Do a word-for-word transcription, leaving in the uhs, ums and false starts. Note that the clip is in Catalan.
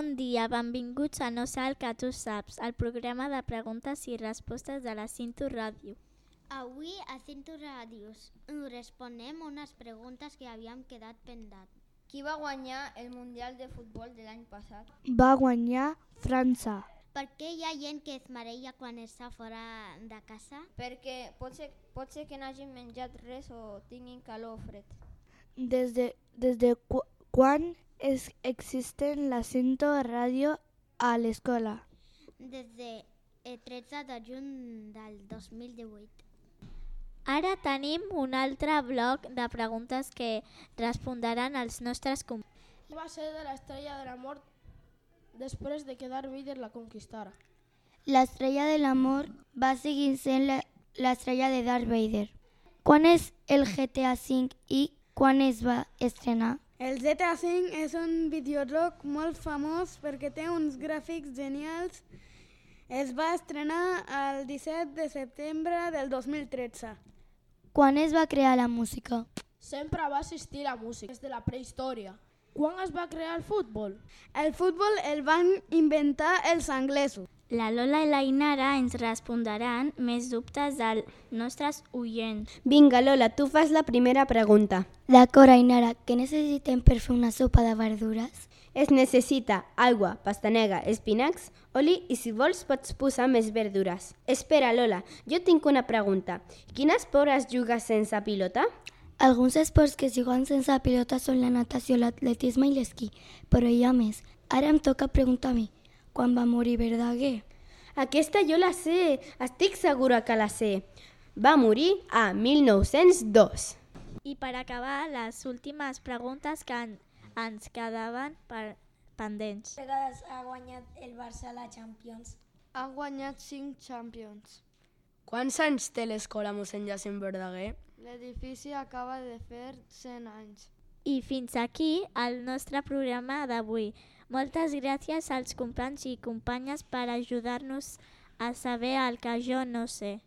Bon dia, benvinguts a No sé el que tu saps, el programa de preguntes i respostes de la Cinto Ràdio. Avui a Cinto Ràdios responem unes preguntes que havíem quedat pendents. Qui va guanyar el Mundial de Futbol de l'any passat? Va guanyar França. Per què hi ha gent que es mareja quan està fora de casa? Perquè pot ser, pot ser que n'hagin menjat res o tinguin calor o fred. Des de, des de cu quan es, existen la Cinto Ràdio a l'escola? Des de el tretze de juny del dos mil divuit. Ara tenim un altre bloc de preguntes que respondran els nostres companys. Qui va ser de l'estrella de la mort després de que Darth Vader la conquistara? L'estrella de l'amor va seguir sent l'estrella de Darth Vader. Quan és el G T A cinc i quan es va estrenar? El G T A cinc és un videojoc molt famós perquè té uns gràfics genials. Es va estrenar el disset de setembre del dos mil tretze. Quan es va crear la música? Sempre va existir la música des de la prehistòria. Quan es va crear el futbol? El futbol el van inventar els anglesos. La Lola i la Inara ens respondran més dubtes dels nostres oients. Vinga, Lola, tu fas la primera pregunta. D'acord, Ainara, què necessitem per fer una sopa de verdures? Es necessita aigua, pastanega, espinacs, oli i si vols pots posar més verdures. Espera, Lola, jo tinc una pregunta. Quin esport es juga sense pilota? Alguns esports que es juguen sense pilota són la natació, l'atletisme i l'esquí, però hi ha més. Ara em toca preguntar a mi. Quan va morir Verdaguer? Aquesta jo la sé, estic segura que la sé. Va morir a mil nou-cents dos. I per acabar, les últimes preguntes que en, ens quedaven per, pendents. Quantes vegades ha guanyat el Barça la Champions? Han guanyat cinc Champions. Quants anys té l'escola mossèn Jacint Verdaguer? L'edifici acaba de fer cent anys. I fins aquí el nostre programa d'avui. Moltes gràcies als companys i companyes per ajudar-nos a saber el que jo no sé.